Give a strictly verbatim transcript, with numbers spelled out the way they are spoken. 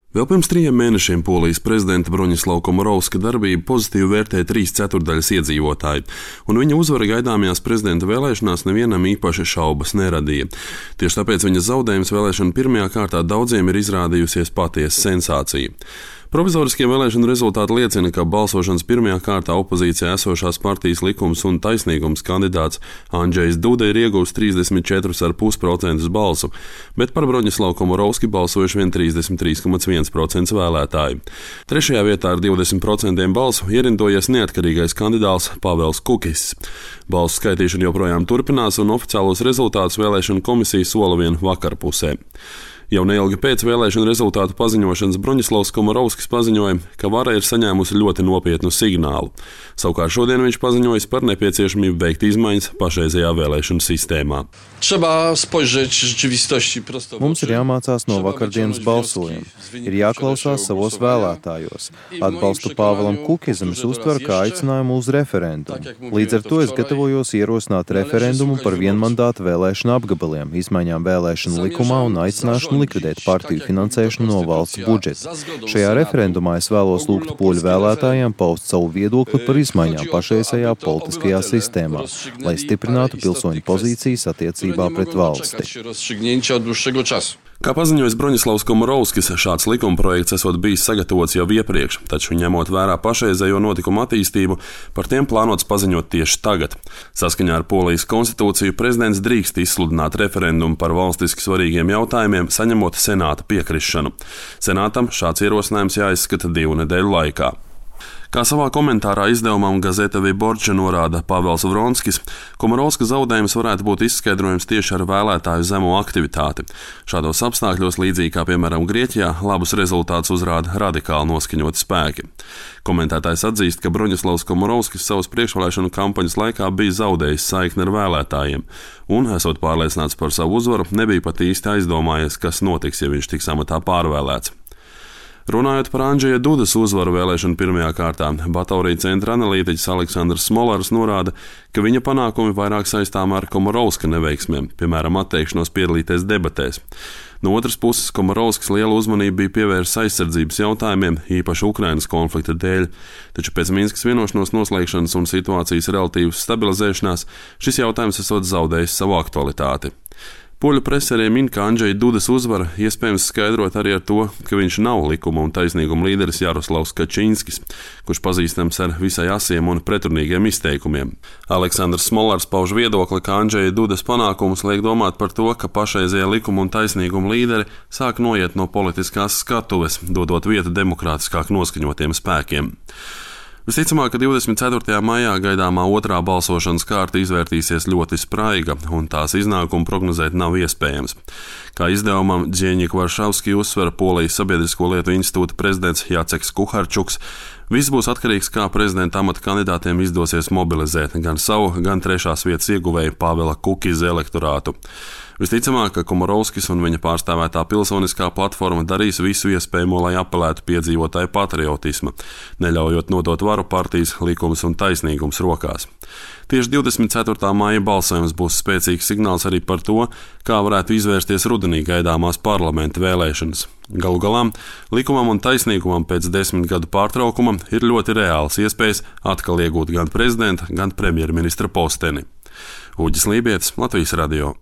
Vēl pirms trījiem mēnešiem Polijas prezidenta Broņislava Komorovska darbību pozitīvi vērtēja trīs ceturtdaļas iedzīvotāji, un viņa uzvara gaidāmajās prezidenta vēlēšanās nevienam īpaši šaubas neradīja. Tieši tāpēc viņas zaudējums vēlēšanu pirmajā kārtā daudziem ir izrādījusies patiesa sensācija. Provizoriskie vēlēšanu rezultāti liecina, ka balsošanas pirmajā kārtā opozīcijā esošās partijas Likums un taisnīgums kandidāts Andžejs Duda ir ieguvis trīsdesmit četri komats pieci procenti balsu, bet par Broņislavu Komorovski balsojuši vien trīsdesmit trīs komats viens procents vēlētāji. Trešajā vietā ar divdesmit procentiem balsu ierindojies neatkarīgais kandidāts Pavels Kukis. Balsu skaitīšana joprojām turpinās, un oficiālos rezultātus vēlēšanu komisija sola vien vakarpusē. Jau neilgi pēc vēlēšanu rezultātu paziņošanas Broņislavs Komorovskis paziņoja, ka vara ir saņēmusi ļoti nopietnu signālu. Savukārt šodien viņš paziņojis par nepieciešamību veikt izmaiņas pašreizējā vēlēšanu sistēmā. Mums ir jāmācās no vakardienas balsojuma. Ir jāklausās savos vēlētājos. Atbalstu Pāvelam Kukizam es uztveru kā aicinājumu uz referendumu. Līdz ar to es gatavojos ierosināt referendumu par vienmandātu vēlēšanu apgabaliem, izmaiņām vēlēšanu likumā un aicināšanu likvidēt partiju finansēšanu no valsts budžeta. Šajā referendumā es vēlos lūgt poļu vēlētājiem paust savu viedokli par izmaiņām pašreizējā politiskajā sistēmā, lai stiprinātu pilsoņu pozīcijas attiecībā pret valsti. Kā paziņojis Broņislavs Komorovskis, šāds likumprojekts esot bijis sagatavots jau iepriekš, taču ņemot vērā pašreizējo notikumu attīstību, par tiem plānots paziņot tieši tagad. Saskaņā ar Polijas konstitūciju prezidents drīkst izsludināt referendumu par valstiski svarīgiem jautājumiem, saņemot senāta piekrišanu. Senātam šāds ierosinājums jāizskata divu nedēļu laikā. Kā savā komentārā izdevumam Gazeta Vyborča norāda Pavels Vronskis, Komorovska zaudējums varētu būt izskaidrojums tieši ar vēlētāju zemo aktivitāti. Šādos apstākļos, līdzīgi kā piemēram Grieķijā, labus rezultātus uzrāda radikāli noskaņoti spēki. Komentētājs atzīst, ka Broņislavs Komorovskis savas priekšvēlēšanu kampaņas laikā bija zaudējis saikni ar vēlētājiem, un, esot pārliecināts par savu uzvaru, nebija pat īsti aizdomājies, kas notiks, ja viņš tiks amatā pārvēlēts. Runājot par Andžeja Dudas uzvaru vēlēšanu pirmajā kārtā, Batorija centra analītiķis Aleksandrs Smolars norāda, ka viņa panākumi vairāk saistām ar Komorovska neveiksmēm, piemēram, atteikšanos piedalīties debatēs. No otras puses, Komorovskis lielu uzmanību bija pievērsis aizsardzības jautājumiem, īpaši Ukrainas konflikta dēļ, taču pēc Minskas vienošanos noslēgšanas un situācijas relatīvas stabilizēšanās šis jautājums esot zaudējis savu aktualitāti. Poļu prese arī min, ka Andžeja Dudas uzvara iespējams skaidrot arī ar to, ka viņš nav likuma un taisnīguma līderis Jaroslavs Kačinskis, kurš pazīstams ar visai asiem un pretrunīgiem izteikumiem. Aleksandrs Smolars pauž viedokli, ka Andžeja Dudas panākums liek domāt par to, ka pašreizējie likuma un taisnīguma līderi sāk noiet no politiskās skatuves, dodot vietu demokrātiskāk noskaņotiem spēkiem. Visticamāk, ka divdesmit ceturtajā maijā gaidāmā otrā balsošanas kārta izvērtīsies ļoti spraiga, un tās iznākumu prognozēt nav iespējams. Kā izdevumam Dzieņik Varšavski uzsver Polijas Sabiedrisko lietu institūta prezidents Jaceks Kuharčuks, viss būs atkarīgs, kā prezidenta amata kandidātiem izdosies mobilizēt gan savu, gan trešās vietas ieguvēju Pavela Kukiza elektorātu. Visticamāk, ka Komorovskis un viņa pārstāvētā pilsoniskā platforma darīs visu iespējamo, lai apelētu piedzīvotāju patriotisma, neļaujot nodot varu partijas Likums un taisnīgums rokās. Tieši divdesmit ceturtā maija balsojums būs spēcīgs signāls arī par to, kā varētu izvērsties rudenī gaidāmās parlamenta vēlēšanas. Galu galā, Likumam un taisnīgumam pēc desmit gadu pārtraukuma ir ļoti reāls iespējas atkal iegūt gan prezidenta, gan premjerministra posteni. Uģis Lībietis, Latvijas radio.